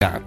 Grad.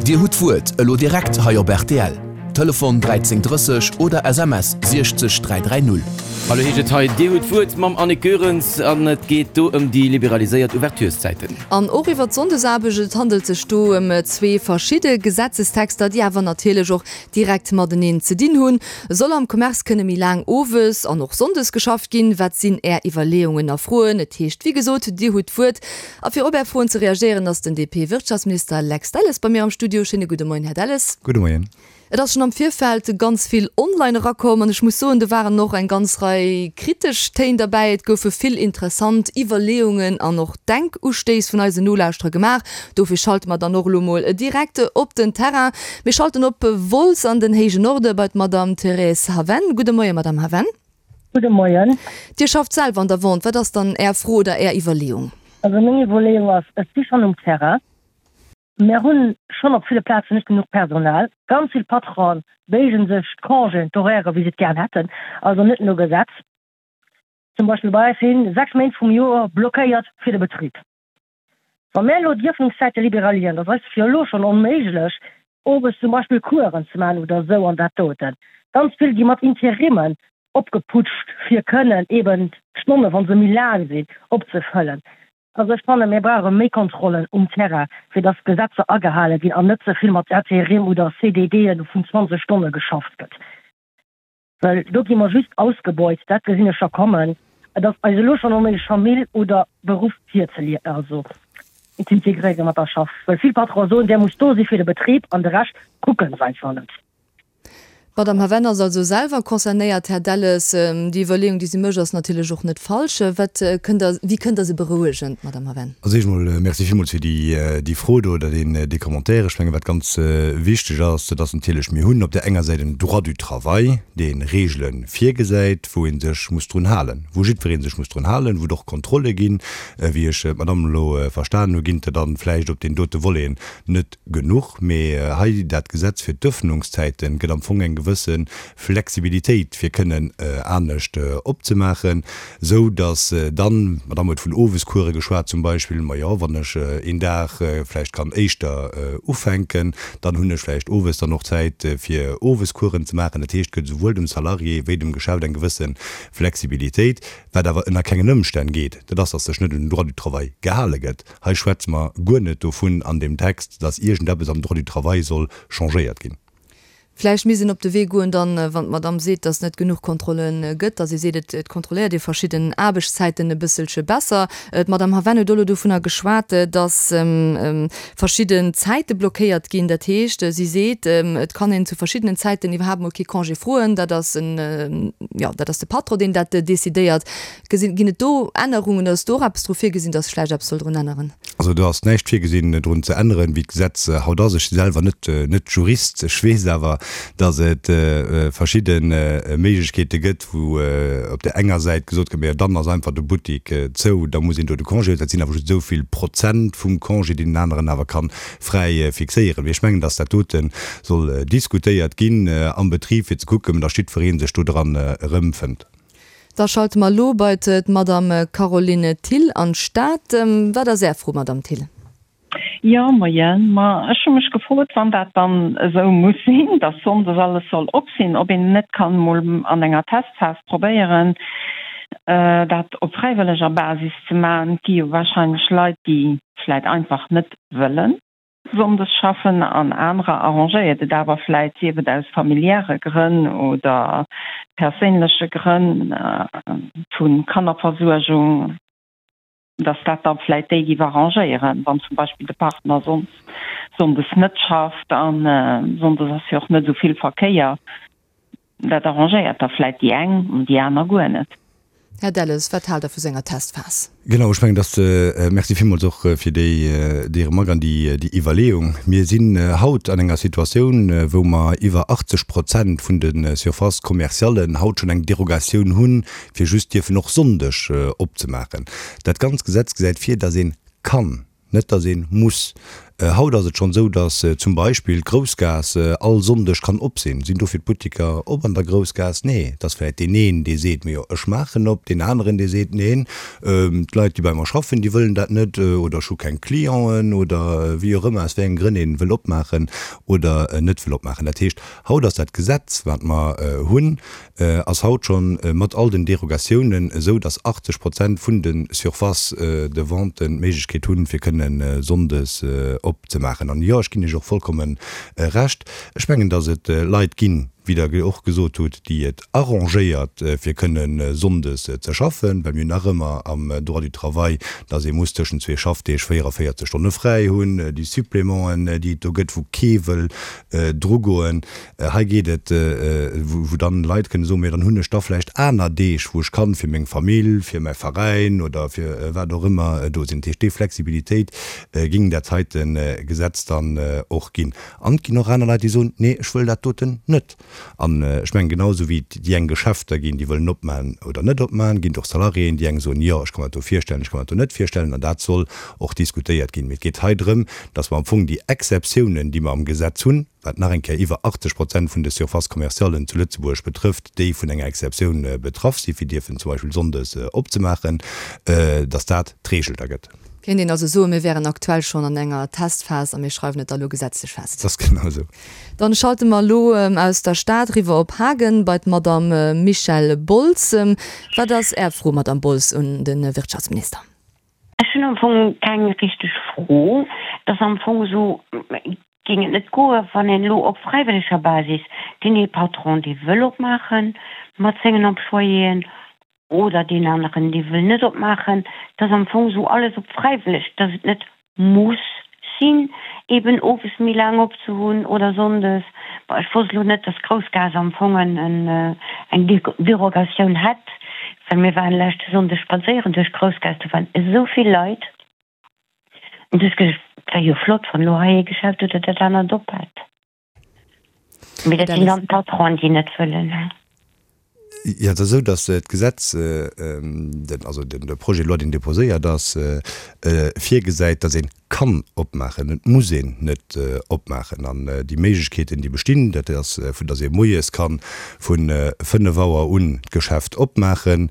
Dir hutt d'Wuert elo direkt hei op rtl. Telefon 13 30 oder SMS 60 330. Hallo heescht et hei, Dir hutt d'Wuert mam Annick Goerens an et geet do ëm déi liberaliséiert Ouvertureszäiten. An och iwwer d'Sonndesaarbecht. Et handelt sech do ëm zwee verschidde Gesetzestexter, déi awer natierlech och direkt mateneen ze dinn hunn. Soll am Commerce kënne méi laang owes an och sonndes geschafft ginn? Wat sinn Är Iwwerleeungen a Froen? Et heescht wéi gesot, Dir hutt d'Wuert. A fir op Är Froen ze reagéieren, ass den DP-Wirtschaftsminister Lex Delles bei mir am Studio. Schéine gudde Moien, Här Delles. Gudde Moien. Et ass schonn am Virfeld ganz vill online erakomm an ech muss soen, do waren och eng ganz Rei kritesch Téin derbäi. Et goufe vill interessant Iwwerleeungen an och Denkustéiss vun eisen Nolauschterer gemaach. Dofir schalte mer dann och elo mol direkt op den Terrain. Mir schalten op Wolz an den héijen Norde bei d'Madamm Thérèse Haven. Gudde Moien, Madamm Haven. Gudde Moien. Dir schafft selwer an der Vente. Wat ass dann Är Fro oder Är Iwwerleeung? Also meng Iwwerleeung ass, ech si schonn um Terrain. Mär hu schonn op ville Plazen net genuch Personal. Ganz vill Patronen béigen sech d'Congéen, d'Horairen, wéi se et gären hätten, also net no Gesetz. Zum Beispill bei eis si 6 Méint vum Joer blockéiert fir de Betrib. Wa mär elo d'Iöffnungszäite liberalieren, dat ass jo elo schonn onméiglech, owes zum Beispill Coursen ze maachen oder esou an dat doten. Ganz vill gi mat Interimmen opgeputscht, fir kënnen eben d'Stonnen, wa se méi laang sinn, opzefëllen. Also ech fannen, mir brauche méi Kontrollen um Terrain, fir dass d'Gesetzer agehale ginn an net ze vill mat Interim oder CDDe vun 20 Stonne geschafft gëtt. Well do gi mer just ausgebeut, dat gesinn ech scho kommen. Et ass eis elo schonn onméiglech Famill oder Beruff virzelie also z'integréiere mat der Schaff, well vill Patronen soen, där muss do si fir de Betrib an de Rescht kucke se einfach net. D'Madame Haven ass also selwer concernéiert. Här Delles, déi Iwwerleeung, déi si mécht, ass natierlech och net falsch. Wat kënnt Der, wéi kënnt Der se berouegen, d'Madame Haven? Also éischt emol Merci villmools fir déi Fro do oder deen Commentaire. Ech mengen, wat ganz wichteg ass, dat ass natierlech, mir hunn op där enger Säit en Droit du travail, dee Regele virgesäit, wou ee sech muss drun halen, wou jiddweree sech muss drun halen, wou et och Kontrolle ginn. Wéi ech d'Madame elo verstanen hu, ginn et der dann vläicht op deen dote Voleten net genuch. Mee hei dat Gesetz fir d'Öffnungszäiten gëtt am Fong eng gewësse Flexibilitéit, fir kënnen anescht opzemaachen. Sou datt dann, d'Madame huet vun Owescourse geschwat zum Beispill, majo, wann ech een Dag vläicht kann éischter ufänken, dann hunn ech vläicht owes dann och Zäit fir Owescoursen ze maachen. Dat heescht, et gëtt esouwuel dem Salarié wéi dem Geschäft eng gewësse Flexibilitéit. Wat awer ënner kengen Ëmstänn geet, dat ass, datt sech net un den Droit du travail gehale gëtt. Hei schwätze mer guer net dovun an deem Text, datt iergendeppes am Droit du travail soll changéiert ginn. Vläicht misst een op de Wee goen dann, wann d'Madame seet, dass et net genuch Kontrolle gëtt, dass ee seet, et kontrolléiert ee verschidden Aarbechtszäiten e bësselche besser. D'Madame Haven huet och elo dovunner geschwat, dass verschidden Zäite blockéiert ginn. Dat heescht, si seet, et kann een zu verschiddenen Zäiten iwwerhaapt mol kee Congé froen. Dat ass en, jo, dat ass de Patron, deen dat decidéiert. Gesinn, ginn et do Ännerungen oder ass do och eppes dru virgesinn, dass sech vläicht eppes soll drun änneren? Also do ass näischt virgesinn drun ze änneren, wéi d'Gesetz haut ass. Ech si selwer net net Jurist, ech weess awer, dass et verschidde Méiglechkeete gëtt, wou op där enger Säit gesot gëtt, majo dann ass einfach de Buttik zou, da muss een do de Congé huelen. Dat sinn awer just esou vill Prozent vum Congé, deen den aneren awer ka fräi fixéieren. Mee ech mengen, dass dat dote soll diskutéiert ginn am Betrib, fir ze kucken, dass jiddweree sech do dran erëmfënnt. Da schalte mer elo bei d'Madame Caroline Thill an d'Stad. Wat ass Är Fro, Madame Thill? Jo, moien. Ma ech hu mech gefrot, wann dat dann esou muss sinn, dass sonndes alles soll op sinn, ob een net kann emol an enger Testphas probéieren, dat op fräiwëlleger Basis ze maachen. Et gi jo wahrscheinlech Leit, déi vläit einfach net wëllen. Sonndes schaffen an anerer arrangéiert et awer vläit, sief et aus familiäre Grënn oder perséinleche Grënn vu Kannerversuergung, dass dat da vläit déi giff arrangéieren, wann zum Beispill de Partner soss sonndes net schafft a sonndes ass jo och net esou vill Verkéier. Dat arrangéiert da vläit déi eng an déi aner guer net. Här Delles, wat haalt Der vu senger Testphas? Genau, ech mengen, dass, Merci villmools och fir déi, déi Remark an déi, déi Iwwerleeung. Mir sinn haut an enger Situatioun, wou mer iwwer 80 Prozent vun de Surfaces commerciallen haut schonn eng Derogatioun hunn, fir just dierfen och Sonndeg opzemaachen. Dat ganz Gesetz gesäit vir, dass ee kann, net dass ee muss. Haut ass et schonn esou, datt zum Beispill d'Groussgaass all Sonndeg kann op sinn. Sinn dofir d'Buttiker op an der Groussgaass? Nee. Et ass vläicht deen een, dee seet, Majo, ech maachen op, deen aneren, dee seet, Neen, d'Leit, déi bei mer schaffen, déi wëllen dat net oder ech hu keng Clienten oder wéi och ëmmer, aus wéi enge Grënn ee wëll opmaachen oder net wëll opmaachen. Dat heescht, haut ass dat Gesetz, wat mer hunn, ass haut schonn mat all den Derogatiounen esou, dass 80 Prozent vun de Surfaces de vente d'Méiglechkeet hunn, fir kënne sonndes opzemaachen. An jo, ech ginn Iech och vollkomme Recht. Ech mengen, dass et Leit ginn, wéi Der och gesot hutt, déi et arrangéiert, fir kënne sonndes ze schaffen, well mir hunn nach ëmmer am Droit du travail, dass ee muss tëschent zwee Schaffdeeg 44 Stonne fräi hunn, déi Supplémenten, déi et do gëtt, wou kee wëll drugoen. Hei geet et, wou dann Leit kënne soen, Mee dann hunn ech da vläicht aner Deeg, wou ech kann fir meng Famill, fir mäi Veräin oder fir wat och ëmmer do sinn. Dat heescht, déi Flexibilitéit géing dat heite Gesetz dann och ginn. An et ginn och aner Leit, déi soen, Nee, ech wëll dat doten net. An ech mengen, genau esou wéi et déi eng Geschäfter ginn, déi wëllen opmachen oder net opmachen, ginn et och Salariéen, déi eng soen, Jo, ech ka mer dat do virstellen, ech ka mer dat do net virstellen. An dat soll och diskutéiert ginn. Mee et geet hei drëm, dass mer am Fong déi Exceptiounen, déi mer am Gesetz hunn, wat nach eng Kéier iwwer 80 Prozent vun de Surfaces commerciallen zu Lëtzebuerg betrëfft, déi vun enger Exceptioun betraff sinn, fir dierfen zum Beispill sonndes opzemaachen, dass dat d'Regel da gëtt. Kéint een also soen, mir wären aktuell schonn an enger Testphas a mir schreiwen et da lo gesetzlech fest. Dat ass genau esou. Dann schalte mer elo aus der Stad riwwer op Hagen bei d'Madame Michèle Boltz. Wat ass Är Fro, Madame Boltz, un de Wirtschaftsminister? Ech hunn am Fong keng richteg Fro. Et ass am Fong esou, géing et net goe wann een elo op fräiwëlleger Basis deen ee Patron, dee wëll opmaache mat sengen Employéen oder deen aneren, dee wëll net opmaachen, dass am Fong esou alles op fräiwëlleg, dass et net muss sinn, eben owes méi laang op ze hunn oder sonndes. Bon, ech wosst elo net, dass Groussgaass am Fong eng Derogatioun hätt, well mir waren leschte Sonndeg spadséieren duerch Groussgaass, do waren esou vill Leit. An du hues geduecht, et wär jo flott, wann elo hei ee Geschäft oder dat anert op hätt. Mee dat sinn dann d'Patronen, déi net wëllen. Jo, et ass esou, datt d'Gesetz, also de Projet de loi, deen déposéiert ass, virgesäit, datt ee kann opmaachen. Et muss een net opmaachen. An déi Méiglechkeeten, déi bestinn, dat ass, vu datt ee moies ka vu 5 Auer un d'Geschäft opmaachen,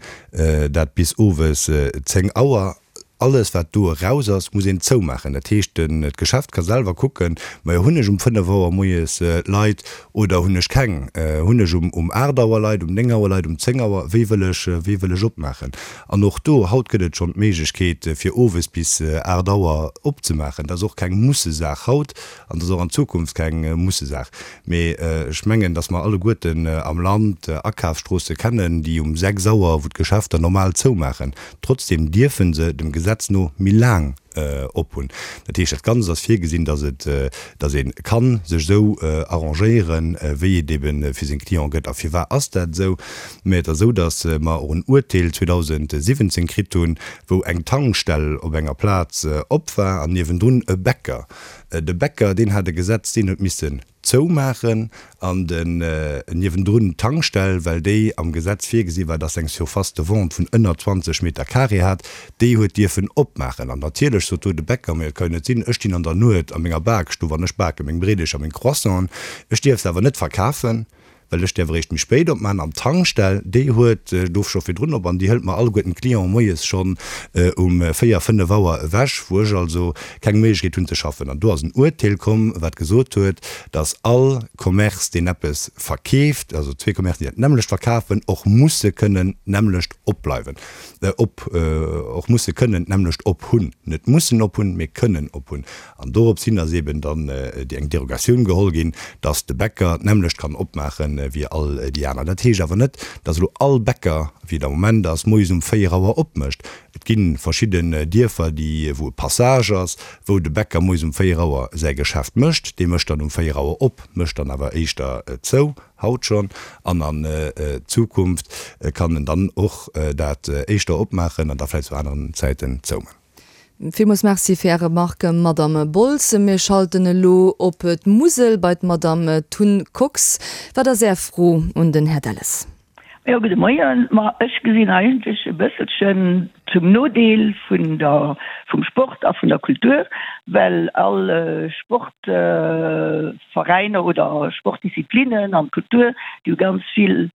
dat bis owes 10 Auer. Alles wat do eraus ass, muss een zoumaachen. Dat heescht, d'Geschäft ka selwer kucken, majo hunn ech um 5 Auer moies Leit oder hunn ech keng? Hunn ech um 8 Auer Leit, um 9 Auer Leit, um 10 Auer? Wéi wëll ech, wéi wëll ech opmaachen? An och do, haut gëtt et schonn d'Méiglechkeet fir owes bis 8 Auer opzemaachen. Dat ass och keng Mussesaach haut an dat ass och an Zukunft keng Mussesaach. Mee ech mengen, datt mer alleguerten am Land Akafsstroosse kennen, déi um 6 Auer, wou d'Geschäfter normal zoumaachen, Trotzdem dierfe se dem Gesetz no méi laang op hunn. Dat heescht, dat Ganzt ass virgesinn, datt et, datt ee ka sech esou arrangéieren, wéi et ebe fir seng Cliente gëtt. A firwat ass dat esou? Mä et ass esou, datt mer och en Uerteel 2017 kritt hunn, wou eng Tankstell op enger Plaz op war an niewendrun e Bäcker. De Bäcker, deen hat e Gesetz, deen huet missen zoumaachen an den niewendrun d'Tankstell, well déi am Gesetz virgesi war, dass se eng Surface de vente vun ënner 20 Meter carré hat, déi huet dierfen opmaachen. An natierlech sot do de Bäcker, Mä et ka jo net sinn, ech stinn an der Nuet a menger Bakstuff an ech bake meng Breedecher, meng Croissanten, ech dierf se awer net verkafen. Well ech däerf eréischt méi spéit opmaachen. An d'Tankstell, déi huet do scho virdrun op an déi hëlt mer alleguerten d'Clienten moies schonn um 4, 5 Auer ewech, wou ech also keng Méiglechkeet hunn ze schaffen. An do ass en Urteel komm, wat gesot huet, dass all Commerce, deen eppes verkeeft, also zwee Commercen, déi dat nämmlecht verkafen, och musse kënnen d'nämmlecht opbleiwen, op, och musse kënnen d'nämmlecht ophunn. Net mussen ophunn, mee kënnen ophunn. An dorops hin ass eben dann déi eng Derogatioun geholl ginn, dass de Bäcker d'nämmlecht kann opmaache wéi all déi aner. Dat heescht awer net, dass elo all Bäcker, wéi et am Moment ass, moies um 4 Auer opmécht. Et gi verschidden Dierfer, déi, wou e Passage ass, wou de Bäcker moies um 4 Auer säi Geschäft mécht. Dee mécht dann um 4 Auer op, mécht dann awer éischter zou, haut schonn. An an Zukunft kann en dann och dat éischter opmaachen an da vläicht zu aneren Zäiten zouman. Villmools Merci fir Är Remarque, Madamm Boltz. Mir schalten elo op d'Musel bei d'Madamm Tun Kox. Wat ass Är Fro un den Här Delles? Jo, gudde Moien. Ma ech gesinn eigentlech e bësselchen zum Nodeel vun der, vum Sport a vun der Kultur, well all Sportveräiner oder Sportdisziplinen an d'Kultur, déi hu ganz vill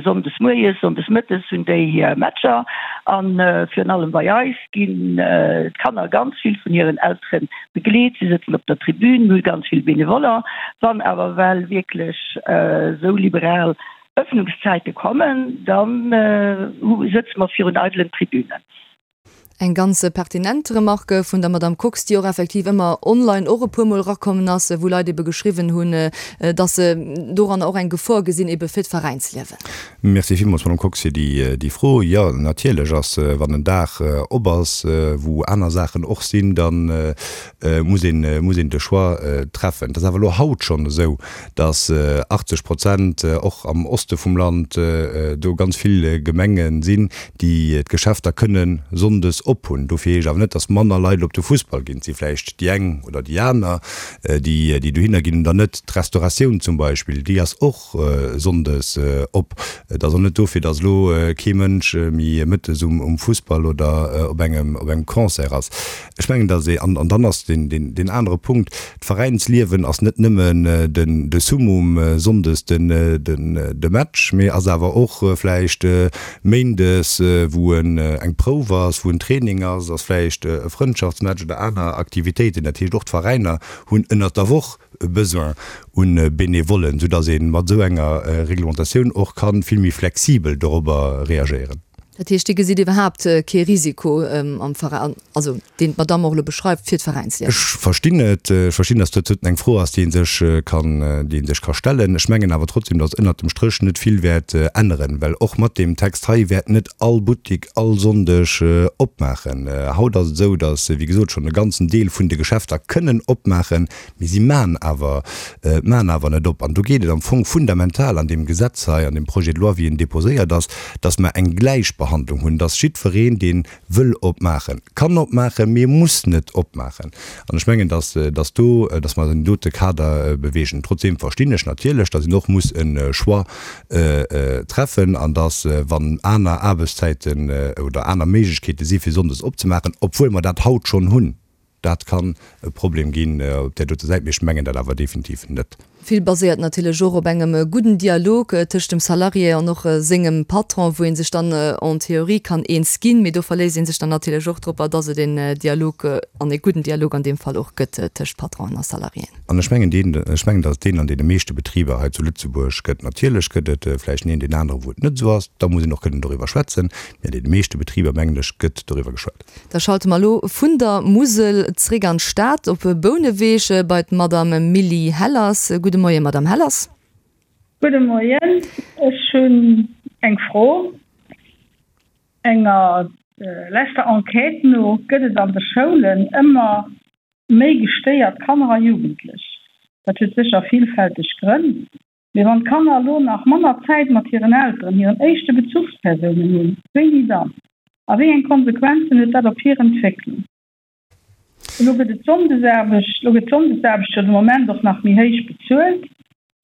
sonndes moies, sonndes mëttes hunn déi hir Matcher. A virun allem bei eis ginn d'Kanner ganz vill vun hiren Eltere begleet. Si sëtzen op der Tribün, mir hu ganz vill Benevoller. Wann awer well wierklech esou liberal Ëffnungszäite kommen, da sëtze mer virun eidelen Tribünen. Eng ganz pertinent Remarque vun der Madame Kox, déi och effektiv ëmmer online och e puermol erakommen ass, wou Leit ebe geschriwwen hunn, dass se doranner och eng Gefor gesinn ebe fir d'Veräinsliewen. Merci villmools, Madame Kox, fir déi Fro. Jo, natierlech ass, wann en Dag op ass, wou aner Saachen och sinn, da muss een, muss een de Choix treffen. Et ass awer elo haut schonn esou, dass 80 Prozent och am Oste vum Land do ganz vill Gemenge sinn, déi d'Geschäfter kënne sonndes op hunn. Dofir heescht awer net, dass manner Leit op de Fussball ginn. Et si vläicht déi eng oder déi aner, déi dohinner ginn oder net. D'Restauratioun zum Beispill, déi ass och sonndes op. Et ass och net dofir, dass elo kee Mënsch méi mëttes um Fussball oder op engem Concert ass. Ech mengen, dass ee, an dann ass deen, deen anere Punkt, d'Veräinsliewen ass net nëmmen den, de Summum sonndes, den, den, de Match, mee ass awer och vläicht méindes, wou en, eng Prouf ass, wou en Training ass, ass vläicht e Frëndschaftsmatch oder aner Aktivitéiten. Dat heescht, och d'Veräiner hunn ënnert der Woch e Besoin u Benevollen, soudass ee mat esou enger Reglementatioun och ka vill méi flexibel dorobber reagéieren. Dat heescht, Dir gesitt iwwerhaapt kee Risiko am Veräin, also deen d'Madamm och elo beschreift, fir d'Veräinsliewen? Ech verstinn et. Ech verstinn, datt dat eng Fro ass, déi ee sech kann, déi ee sech ka stellen. Ech mengen awer trotzdem, datt ënnert dem Stréch net vill wäert änneren, well och mat deem Text hei wäert net all Buttik all Sonndeg opmaachen. Haut ass et esou, datt, wéi gesot, schonn e ganzen Deel vun de Geschäfter kënnen opmaachen, Mee si maachen awer, maachen awer net op. An do geet et am Fong fundamental an deem Gesetz hei, an deem Projet de loi, wéi en déposéiert ass, dass mer eng Gläichbehandlung hunn, dass jiddwereen, dee wëll opmaachen, kann opmaachen, mee e muss net opmaachen. An ech mengen, dass, dass do, dass mer eis an deem dote Kader bewegen. Trotzdeem verstinn ech natierlech, dass een och muss e Choix treffen an dass, wann aner Aarbechtszäiten oder aner Méiglechkeete si fir sonndes opzemaachen, obwuel mer dat haut schonn hunn, Dat kann e Problem ginn op där dote Säit, mee ech mengen dat awer definitiv net. Vill baséiert natierlech och op engem gudden Dialog tëscht dem Salarié an och sengem Patron, wou ee sech dann en théorie kann eens ginn. Mee do verléisst ee sech dann natierlech och dropper, dass et en Dialog, an e gudden Dialog an deem Fall och gëtt tëscht Patronen a Salariéen. An ech mengen deen, ech mengen, dass et deen an deene meeschte Betriber hei zu Lëtzebuerg gëtt. Natierlech gëtt et vläicht den een, deen anere wou et net esou ass. Da muss een och kënnen doriwwer schwätzen. Mee an deene meeschte Betriber, mengen ech, gëtt doriwwer geschwat. Da schalte mer elo vun der Musel zréck an d'Stad, op Bouneweg bei d'Madame Milly Hellers. Gudde Moien, Madame Hellers. Gudde Moien. Ech hunn eng Fro. Enger leschter Enquête no gëtt et an de Schoulen ëmmer méi gestéiert Kanner a Jugendlech. Dat huet sécher villfälteg Grënn. Mee wann d'Kanner elo nach manner Zäit mat hiren Elteren, hiren éischte Bezuchspersounen hunn, wéini dann? A wéi eng Konsequenzen huet dat op hir Entwécklung? Elo gëtt et d'Sonndesaarbecht, elo gëtt d'Sonndesaarbecht jo de Moment och nach méi héich bezuelt,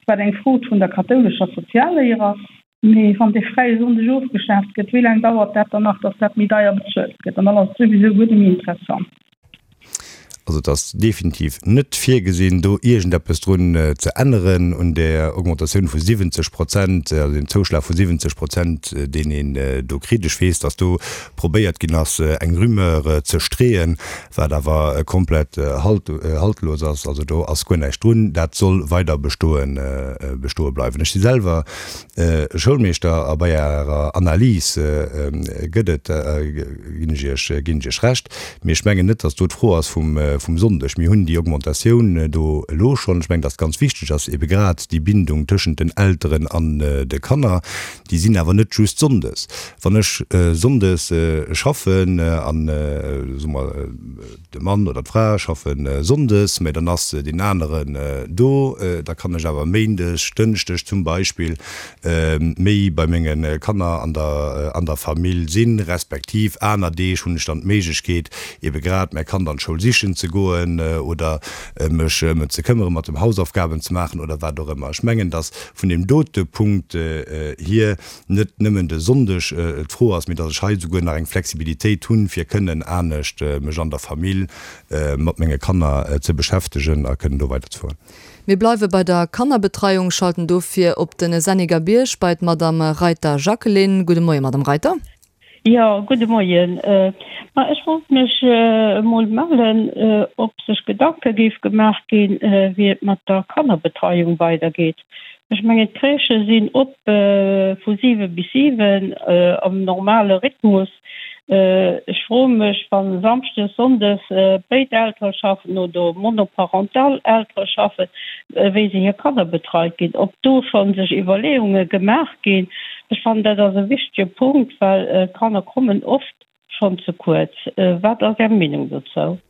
wat eng Fro vun der kathoulescher Sozialléier ass. Mee wann dee fräie Sonndeg ofgeschaaft gëtt, wéi laang dauert dat dann nach, datt dat méi deier bezuelt gëtt? An dann ass et souwisou guer net méi interessant. Also et ass definitiv net virgesinn, do iergendeppes drun ze änneren un där Augmentatioun vu 70 Prozent, also deem Zouschlag vu 70 Prozent, deen een do kritt. Ech weess, datt do probéiert ginn ass, eng Rumeur ze streeën, wat awer komplett haltlos ass. Also do ass guer näischt drun. Dat soll weider bestoen, bestoe bleiwen. Ech si selwer Schoulmeeschter a bei Ärer Analys gëtt et, ginn ech Iech, ginn ech Iech Recht. Mee ech mengen net, datt do d'Fro ass vum, vum Sonndeg. Mir hunn déi Augmentatioun do elo schonn. Ech mengen, datt ganz wichteg ass ebe grad déi Bindung tëschent den Elteren an de Kanner. Déi sinn awer net just sonndes. Wann ech sonndes schaffen an, soe mer, De Mann oder d'Fra schaffe sonndes, mä dann ass deen aneren do. Da kann ech awer méindes, dënschdeg zum Beispill méi bei menge Kanner an der an der Famill sinn, respektiv aner Deeg hunn ech dann d'Méiglechkeet, ebe grad mäi Kand an d'Schoul sichen ze. goen oder mech ëm en ze këmmeren, mat dem Hausaufgaben ze maachen oder wat och ëmmer. Ech mengen, datt vun deem dote Punkt hier net nëmmen de Sonndeg d'Fro ass, mee datt ech hei esouguer nach eng Flexibilitéit hunn, fir kënnen anescht mech an der Famill mat menge Kanner ze beschäftegen a kënnen do weiderzefueren. Mir bleiwe bei der Kannerbetreiung, schalten dofir op de Senneger Bierg bei d'Madame Reiter Jacqueline. Gudde Moien, Madame Reiter. Jo, gudde Moien. Ma ech wollt mech emol mellen, ob sech Gedanke géif gemaach ginn, wéi et mat der Kannerbetreiung weidergeet. Ech mengen, d'Crèchë sinn op vu 7 bis 7 am normale Rhythmus. Ech froe mech, wa samschdes, sonndes béid Eltere schaffen oder monoparental Eltere schaffen, wéi se hir Kanner betreit ginn, ob do scho sech Iwwerleeunge gemaach ginn. Ech fannen, dat ass e wichtege Punkt, well d'Kanner kommen oft schonn ze kuerz. Wat ass Är Meenung dozou?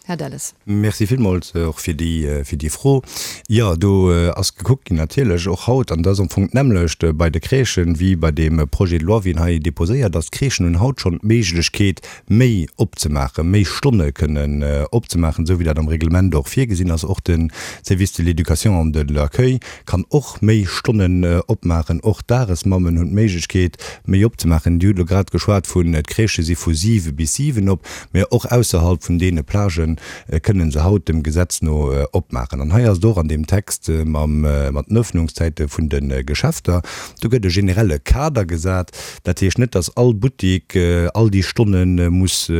Här Delles. Merci villmools och fir déi, fir déi Fro. Jo, do ass gekuckt ginn natierlech och haut, an dat ass am Fong d'nämmlecht bei de Crèchen wéi bei deem Projet de loi, wéi en hei déposéiert ass. D'Crèchen hunn haut schonn d'Méiglechkeet, méi opzemaachen, méi Stonne kënnen opzemaachen, esou wéi dat am Reglement och virgesinn ass. Och de Service de l'éducation an de l'accueil kann och méi Stonnen opmaachen. Och d'Dagesmammen hunn d'Méiglechkeet, méi opzemaachen. Dir hutt elo grad geschwat vun, d'Crèchë si vu siwe bis siwen op, mä och ausserhalb vun deene Plagë kënnen se haut dem Gesetz no opmaachen. An hei ass et och an deem Text mam, mat den Öffnungszäite vun de Geschäfter, do gëtt e generelle Kader gesat, Dat heescht net, dass all Buttik all déi Stonne muss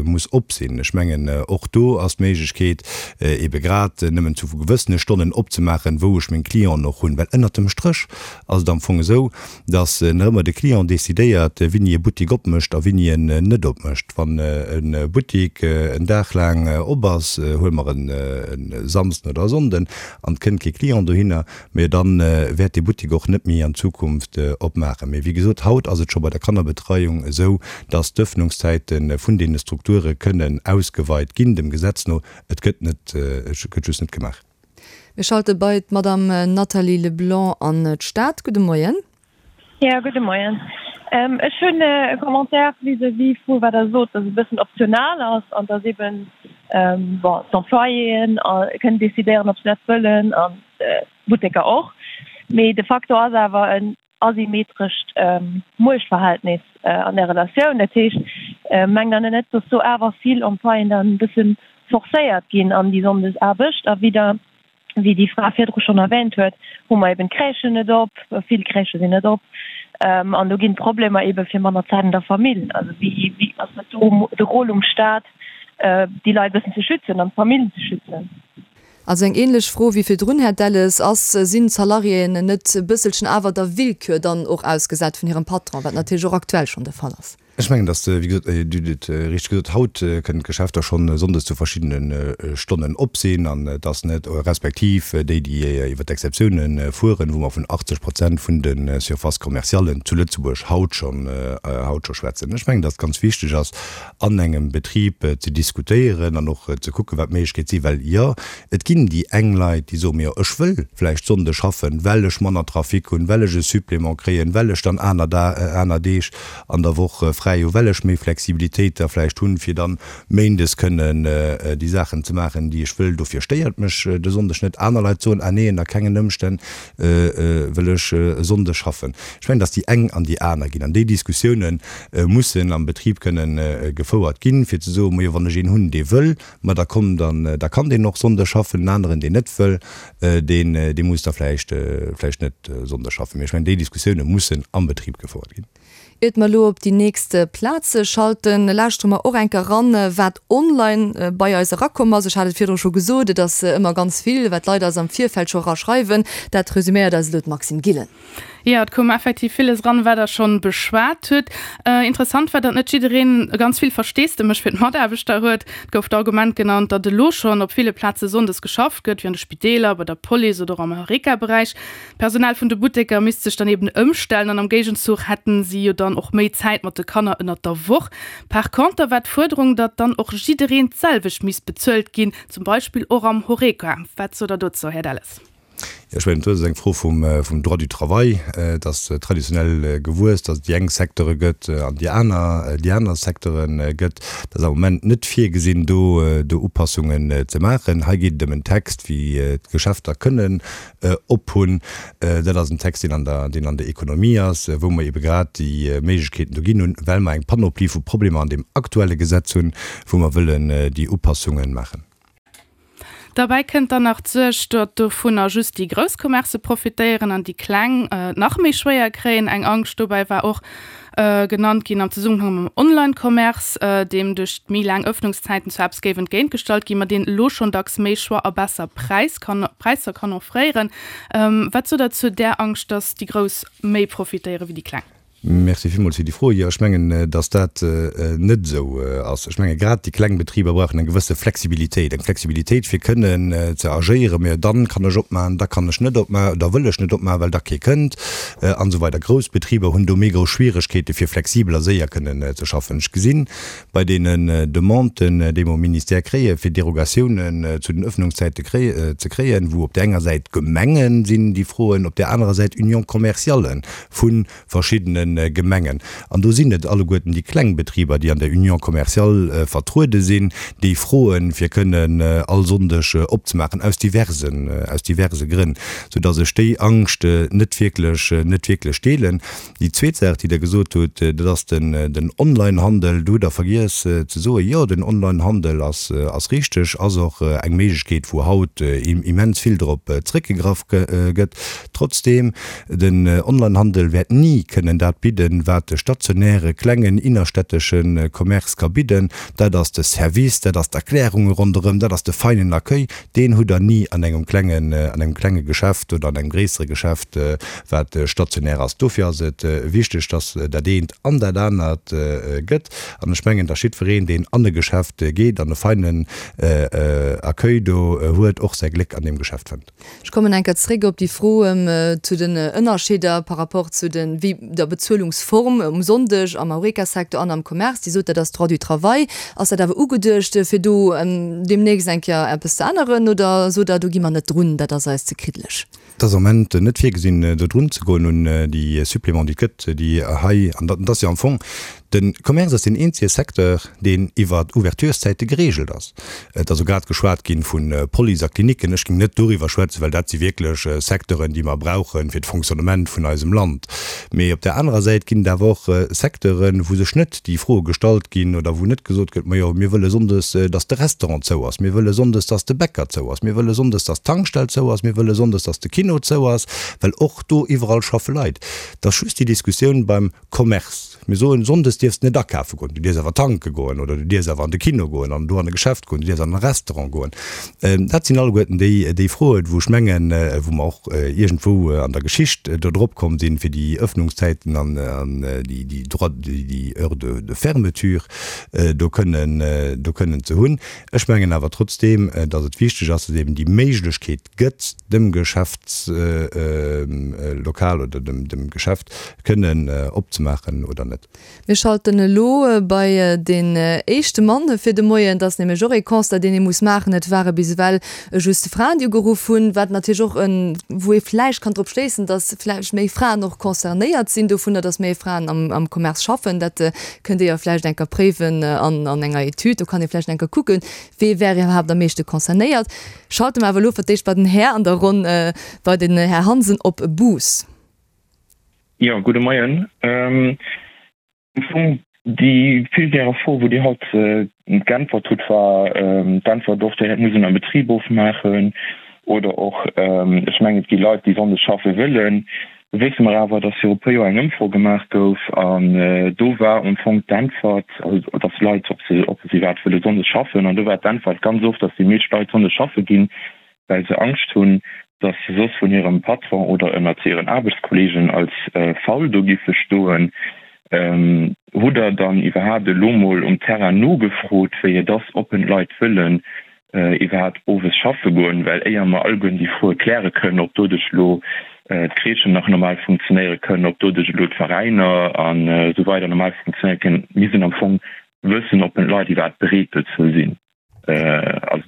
muss op sinn. Ech mengen, och do ass d'Méiglechkeet, eebe grad nëmmen zu gewëssene Stonnen opzemaachen, wou ech meng Clienten och hunn. Well ënnert dem Stréch ass et am Fong esou, dass nach ëmmer de Client decidéiert, wéini e Buttik opmécht a wéini en net opmécht. Wann e Buttik en Dag laang op ass, huele mer e Samsden oder e Sonnden, an et kënnt kee Client dohinner, Mee dann wäert dee Buttik och net méi an Zukunft opmaachen. Mee wéi gesot, haut ass et scho bei der Kannerbetreiung esou, dass d'Öffnungszäite vun deene Strukture kënnen ausgeweit ginn, dem Gesetz no. Et gëtt net, et gëtt just net gemaach. Mir schalte bei d'Madame Nathalie Leblanc an d'Stad. Gudde Moien. Jo, gudde Moien. Ech hunn e Commentaire vis-à-vis vu wat Der sot, dass et e bëssen optional ass an dass eeben, bon, d'Employéen kënnen decidéieren, ob se dat wëllen an d'Butteker och. Mee de facto ass awer en asymmetrescht Muechtverhältnis an där Relatioun. Dat heescht, mengt Der net, dass do awer vill Employéen dann e bësse forcéiert ginn an déi Sonndesaarbecht a wieder Wéi déi Fra virdru schonn erwähnt huet, hu mer eben d'Crèchen net op, vill Crèchë sinn net op an do ginn d'Problemer ebe fir manner Zäit an der Famill. Also wéi, wéi ass net do de Rôle um Staat, déi Leit e bëssen ze schützen an d'Famillen ze schützen? Also eng ähnlech Fro wéi virdrun, Här Delles, Ass, sinn d'Salariéen net e bësselchen awer der Willkür dann och ausgesat vun hirem Patron, wat natierlech och aktuell schonn de Fall ass? Ech mengen, datt, wéi gesot, Dir hutt et richteg gesot, haut kënnen d'Geschäfter schonn sonndes zu verschiddene Stonnen op sinn an et ass net, respektiv déi, déi iwwer d'Exceptiounen fueren, wou mer vun 80 Prozent vun de Surfaces commerciallen zu Lëtzebuerg haut schonn, haut scho schwätzen. Ech mengen, datt et ganz wichteg ass, an engem Betrib ze diskutéieren an och ze kucken, wat d'Méiglechkeet sinn, well jo, et ginn déi eng Leit, déi soen, jo, ech wëll vläicht Sonnde schaffen, well ech manner Trafic hunn, well ech e Supplément kréien, well ech dann aner aner Deeg an der Woch fräi hu, well ech méi Flexibilitéit da vläicht hunn, fir dann méindes kënnen déi Saachen ze maachen, déi ech wëll. Dofir stéiert mech de Sonndeg net. Aner Leit soen, ah nee, ënner kengen Ëmstänn wëll ech e Sonndeg schaffen. Ech mengen, dass déi eng an déi aner ginn. An déi Diskussioune mussen am Betrib kënnen gefouert ginn, fir ze soen, majo, wann ech een hunn, dee wëll, Ma da komm, dann, da kann deen och Sonnde schaffen. En aneren, deen net wëll, deen, dee muss da vläicht, vläicht net Sonnde schaffen. Mee ech mengen, déi Diskussioune mussen am Betrib gefouert ginn. Iert mer elo op déi nächst Plaz schalten, lauschtere mer och eng Kéier eran, wat online bei eis erakomm ass. Ech hat et virdru scho gesot, et ass ëmmer ganz vill, wat d'Leit eis am Virfeld scho eraschreiwen. Dat resuméiert eis elo d'Maxime Gillen. Jo, et koum effektiv villes eran, wat Der schonn beschwat hutt. Interessant war, datt net jiddereen ganz vill Versteesdemech fir d'Mataarbechter huet. Et gouf d'Argument genannt, datt elo schonn op ville Plaze sonndes geschafft gëtt, wéi an de Spideeler, bei der Police oder och am Horeca-Beräich. D'Personal vun de Butteker misst sech dann eben ëmstellen an am Géigenzuch hätten si jo dann och méi Zäit mat de Kanner ënnert der Woch. Par conter war d'Fuerderung, datt dann och jiddereen d'selwecht misst bezuelt ginn, zum Beispill och am Horeca. Wat sot Der dozou, Här Delles? Jo, ech mengen, dat ass eng Fro vum Droit du travail. Et ass traditionell gewuess, datt et déi eng Secteure gëtt an déi aner, déi aner Secteure gëtt. Et ass am Moment net virgesinn, do, do Upassungen ze maachen. Hei geet et ëm en Text, wéi d'Geschäfter kënnen ophunn. Dat ass en Text, deen an der, deen an der Ekonomie ass, wou mer ebe grad déi Méiglechkeeten do ginn hunn, well mer eng Panoplie vu Problemer an deem aktuelle Gesetz hunn, wou mer wëllen déi Upassungen maachen. Derbäi kënnt dann nach d'Suerg, datt dovunner just déi grouss Commercë profitéieren an déi kleng et nach méi schwéier kréien. Eng Angscht dobäi war och genannt ginn am Zesummenhang mam Online-Commerce, deem duerch d'méi laang Ëffnungszäiten zwar eppes géif entgéintgestallt ginn, ma deen elo schonn dacks méi Choix a besser Präis kann, Präisser kann offréieren. Wat sot Der zu där Angscht, datt déi Grouss méi profitéiere wéi déi Kleng? Merci villmools fir déi Fro. Jo, ech mengen, datt dat net esou ass. Ech menge grad déi kleng Betriber brauchen eng gewësse Flexibilitéit, eng Flexibilitéit fir kënnen ze agéieren. Mä dann kann ech opmachen, da kann ech net opmachen, da wëll ech net opmachen, well da kee kënnt an esou weider. Grouss Betriber hunn do méi grouss Schwieregkeete fir flexibel a séier kënnen ze schaffen. Ech gesinn bei deenen Demanden, déi mer um Ministère kréien, fir Derogatiounen zu den Öffnungszäite ze kréien, wou op där enger Säit d'Gemenge sinn, déi froen, op där anerer Säit Union commerciale vu verschiddene Gemengen. An do sinn et alleguerten déi kleng Betriber, déi an der Union commerciale vertruede sinn, déi froen, fir kënnen all Sonndeg opzemaachen, aus diversen, aus diverse Grënn, soudass ech déi Angscht net wierklech, net wierklech deelen. Déi zweet Saach, déi Der gesot hutt, dat ass den, den Onlinehandel. Do hutt Der vergiess ze soen, jo, den Onlinehandel ass, ass richteg, ass och eng Méiglechkeet, wou haut immens vill drop zréckgegraff gëtt. Trotzdeem, den Onlinehandel wäert ni kënnen dat bidden, wat de stationäre, klengen, innerstädtesche Commerce ka bidden. Dat ass de Service, dat ass d'Erklärunge ronderëm, dat ass de feinen Accueil. Deen hutt Der ni an engem klengen, an engem klenge Geschäft oder an engem gréissere Geschäft, wat stationär ass. Dofir ass et wichteg, dass dat eent an dat anert gëtt. An ech mengen, dass jiddwereen, deen an e Geschäft geet an e feinen Accueil do huet, och säi Gléck an deem Geschäft fënnt. Ech kommen eng Kéier zréck op déi Fro zu den Ënnerscheeder par rapport zu den, wéi der Bezuelungsform um Sonndeg am Horeca-Secteur an am Commerce. Dir sot, dat ass Droit du travail. Ass dat awer ugeduecht, fir do deemnächst eng Kéier eppes ze änneren oder sot Der, do gi mer net drun, dat ass eis ze kriddeleg? Et ass am Moment net virgesinn, do drun ze goen un déi Supplément, déi et gëtt, déi hei, an dat ass jo am Fong De Commerce ass deen eenzege Secteur, deen iwwer Ouvertureszäite gereegelt ass. Et ass elo grad geschwat gi vu Police a Klinicken. Ech géing net doriwwer schwätzen, well dat si wierklech Secteuren, déi mer brauche fir d'Fonctionnement vun eisem Land. Mee op där anerer Säit ginn et awer och Secteuren, wou sech net déi Froe gestallt ginn oder wou net gesot gëtt, Majo, mir wëlle sonndes, datt de Restaurant zou ass, mir wëlle sonndes, datt de Bäcker zou ass, mir wëlle sonndes, datt d'Tankstell zou ass, mir wëlle sonndes, datt de Kino zou ass, well och do iwwerall schaffe Leit. Et ass just déi Diskussioun beim Commerce. Mir soen, Sonndes dierfs de net akafe goen, du dierfs awer tanke goen oder du dierfs awer an de Kino goen an do an e Geschäft goen, du dierfs an e Restaurant goen. Dat sinn alleguerten déi, déi Froen, wou ech mengen, wou mer och iergendwou an der Geschicht do drop komm sinn, fir déi Öffnungszäiten an déi, déi Droits, déi Heures de, de fermeture do kënnen, do kënnen ze hunn. Ech mengen awer trotzdeem, datt et wichteg ass, datt eben déi Méiglechkeet gëtt, dem Geschäftslokal oder dem Geschäft kënnen opzemaachen oder net. Mir schalten elo bei deen éischte Mann fir de Moien. Dat ass nämlech och ee Constat, deen ee muss maachen. Et ware bis ewell just Fraen, déi ugeruff hunn, wat natierlech och en, wou ee vläicht kann drop schléissen, datt vläicht méi Fraen och concernéiert sinn dovunner, datt méi Fraen am Commerce schaffen. Dat kënnt Dir jo vläicht eng Kéier préiwen an enger Etüd. Do kann ee vläicht eng Kéier kucken, Wee wär iwwerhaapt am meeschte concernéiert? Schalte mer awer elo fir d'éischt bei den Här an der Ronn, bei den Här Hansen op Bous. Jo, gudde Moien. Am Fong déi vill gäre Fro, wou Dir haut geäntwert hutt, war d'Äntwert och, dat muss een am Betrib ofmaachen oder och, ech mengen, et gi Leit, déi sonndes schaffe wëllen. Do wësse mer awer, dass viru puer Joer eng Ëmfro gemaach gouf an do war am Fong d'Äntwert, also dass Leit, ob se, ob se iwwerhaapt wëlle sonndes schaffen, an do war d'Äntwert ganz oft, dass déi meescht Leit sonndes schaffe ginn, well se Angscht hunn, dass se soss vun hirem Patron oder ënnert hiren Aarbechtskollegen als faul do giffe stoen. Hutt Der dann iwwerhaapt elo mol um Terrain nogefrot, wéi et ass, ob en d'Leit wëllen iwwerhaapt owes schaffe goen, well éier mer alleguerten déi Froe kläre kënnen, ob doduerch elo d'Crèchen nach normal funktionéiere kënnen, ob doduerch elo d'Veräiner an esou weider normal funktionéiere kënnen, misst een am Fong wëssen, ob d'Leit iwwerhaapt bereet dozou sinn, also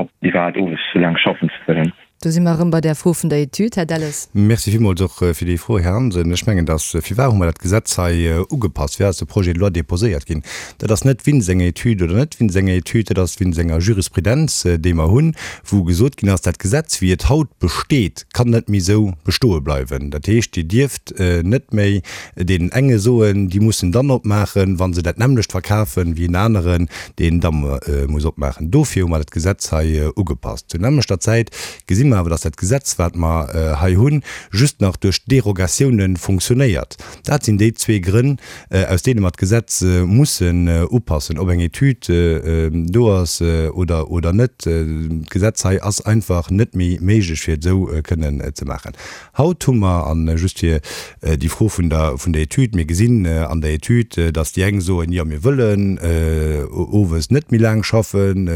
ob iwwerhaapt owes esou laang schaffen ze wëllen. Do si mer erëm bei där Fro vun der Etüd, Här Delles. Merci villmools och fir déi Fro, Här Hansen. Ech mengen, dass, firwat hu mer dat Gesetz hei ugepasst? Firwat ass de Projet de loi déposéiert ginn? Dat ass net wéinst enger Etüd oder net wéinst enger Etüd, dat ass wéinst enger Jurisprudenz, déi mer hunn, wou gesot ginn ass, dat Gesetz, wéi et haut besteet, kann net méi esou bestoe bleiwen. Dat heescht, Dir dierft net méi deenen enge soen, déi mussen dann opmaachen, wa se dat nämmlecht verkafen, wéi en aneren, deen da muss opmaachen. Dofir hu mer dat Gesetz hei ugepasst. Zur nämmlechter Zäit gesi mer awer, dass dat Gesetz, wat mer hei hunn, just nach duerch Derogatiounen funktionéiert. Dat sinn déi zwee Grënn, aus deene mer d'Gesetz mussen upassen. Ob eng Etüd do ass oder oder net, d'Gesetz hei ass einfach net méi méiglech, fir et esou kënnen ze maachen. Haut hu mer, an just fir déi Fro vun der vun der Etüd, mir gesinn an der Etüd, datt déi eng soen, jo mir wëllen owes net méi laang schaffen,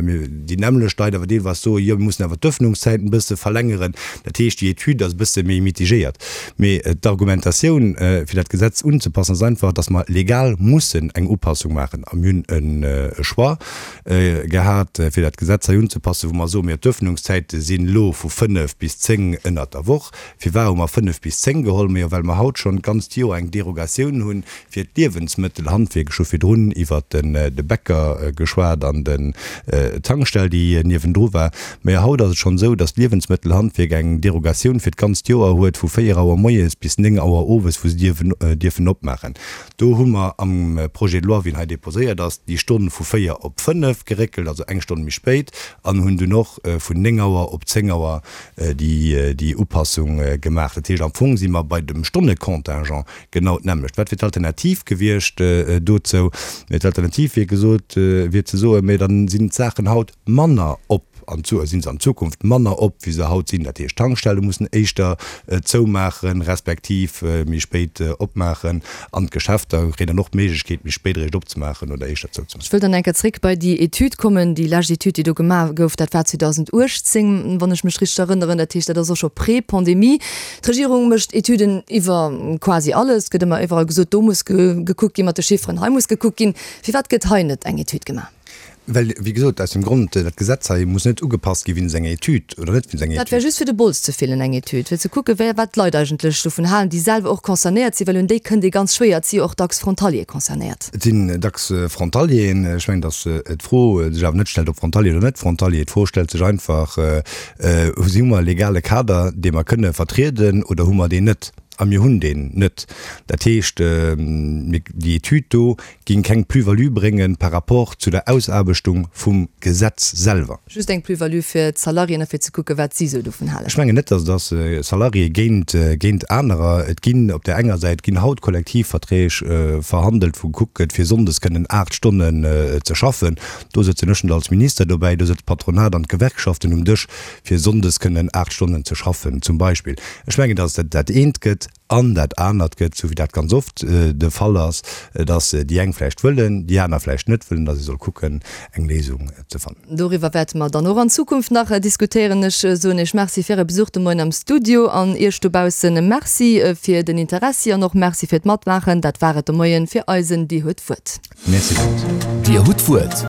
déi nämmlecht Leit awer deelweis soen, jo mir mussen awer d'Ëffnungszäiten e bësse verlängeren. Dat heescht, déi Etüd ass e bësse méi mitigéiert. Mee d'Argumentatioun, fir dat Gesetz unzepassen, ass einfach, datt mer legal mussen eng Upassung maachen. A mir hunn e Choix gehat, fir dat Gesetz hei unzepassen, wou mer soen, mir d'Öffnungszäite sinn elo vu 5 bis 10 ënnert der Woch. Firwat hu mer 5 bis 10 geholl? Majo, well mer haut schonn d'ganzt Joer eng Derogatioun hunn fir d'Liewensmëttelhandwierk. Ech hu virdrun iwwert de Bäcker geschwat an den d'Tankstell, déi niewendru war. Majo, haut ass et schonn esou, dass d'Liewensmëttelhandwierk eng Derogatioun fir d'ganzt Joer huet vu 4 Auer moies bis 9 Auer owes, wou se dierfen opmaachen. Do hu mer am Projet de loi, wéi en hei déposéiert ass, déi Stonn vu 4 op 5 geréckelt, also eng Stonn méi spéit, an hunn dunn och vun 9 Auer op 10 Auer déi Upassung gemaach. Dat heescht, am Fong si mer bei dem Stonnecontingent genau d'nämmlecht. Wat wier d'Alternativ gewiescht dozou? D'Alternativ wier gesot, wier ze soen, Mä dann sinn d'Saachen haut manner op an zu sinn se an Zukunft manner op wéi se haut sinn. Dat heescht, d'Tankstelle mussen éischter zoumaachen, respektiv méi spéit opmaachen an d'Geschäfter kréien dann och d'Méiglechkeet méi spéit eréischt opzemaachen oder éischter zouzemaachen. Ech wëll dann eng Kéier zréck bei déi Etüd kommen, déi lescht Etüd, déi do gemaach gouf, dat war 2018, wann ech mech richteg erënneren. Dat heescht, dat ass och scho pré-Pandemie. D'Regierung mécht Etüden iwwer quasi alles. Et gëtt ëmmer iwwerall gesot, do muss gekuckt gi mat de Chifferen, hei muss gekuckt ginn. Firwat gëtt hei net eng Etüd gemaach? Well, wéi gesot, aus dem Grond, dat Gesetz hei muss net ugepasst gi wéinst enger Etüd oder net wéinst enger Dat wär Etüd. just fir de Bols ze fillen, eng Etüd, fir ze kucken, wéi, wat d'Leit eigentlech dovun halen, déi selwer och concernéiert sinn, well un déi kënnt ee ganz schwéier. Et si jo och dacks Frontaliere concernéiert. Et sinn dacks Frontalieren. Ech mengen, datt d'Fro sech awer net stellt, ob Frontalier oder net Frontalier. D'Fro stellt sech einfach, Hu mer e legale Kader, dee mer kënne vertrieden, oder hu mer deen net? A mir hunn deen net. Dat heescht, déi Etüd do géing keng Plus-value bréngen par rapport zu der Ausaarbechtung vum Gesetz selwer. Just eng Plus-value fir d'Salariéen a fir ze kucken, wat si esou dovun halen. Ech mengen net, datt et ass Salarié géint géint anerer. Et ginn op där enger Säit ginn haut Kollektivverträg verhandelt, wou gekuckt gëtt, fir sonndes kënnen 8 Stonnen ze schaffen. Do sëtzen ech net als Minister dobäi, do sëtzt d'Patronat an d'Gewerkschaften um Dësch, fir sonndes kënnen 8 Stonnen ze schaffen zum Beispill. Ech mengen, datt et dat eent gëtt an dat anert gëtt, esou wéi dat ganz oft de Fall ass, datt déi eng vläicht wëllen, déi aner vläicht net wëllen, datt ee soll kucken, eng Léisung ze fannen. Doriwwer wäerte mer dann och an Zukunft nach diskutéieren. Ech soen Iech Merci fir Äre Besuch de Moien am Studio an Iech dobaussen Merci fir den Interessi an och Merci fir d'Matmaachen. Dat war et de Moien fir eisen Dir huet d'Wuert. Merci villmools. Dir hutt d'Wuert.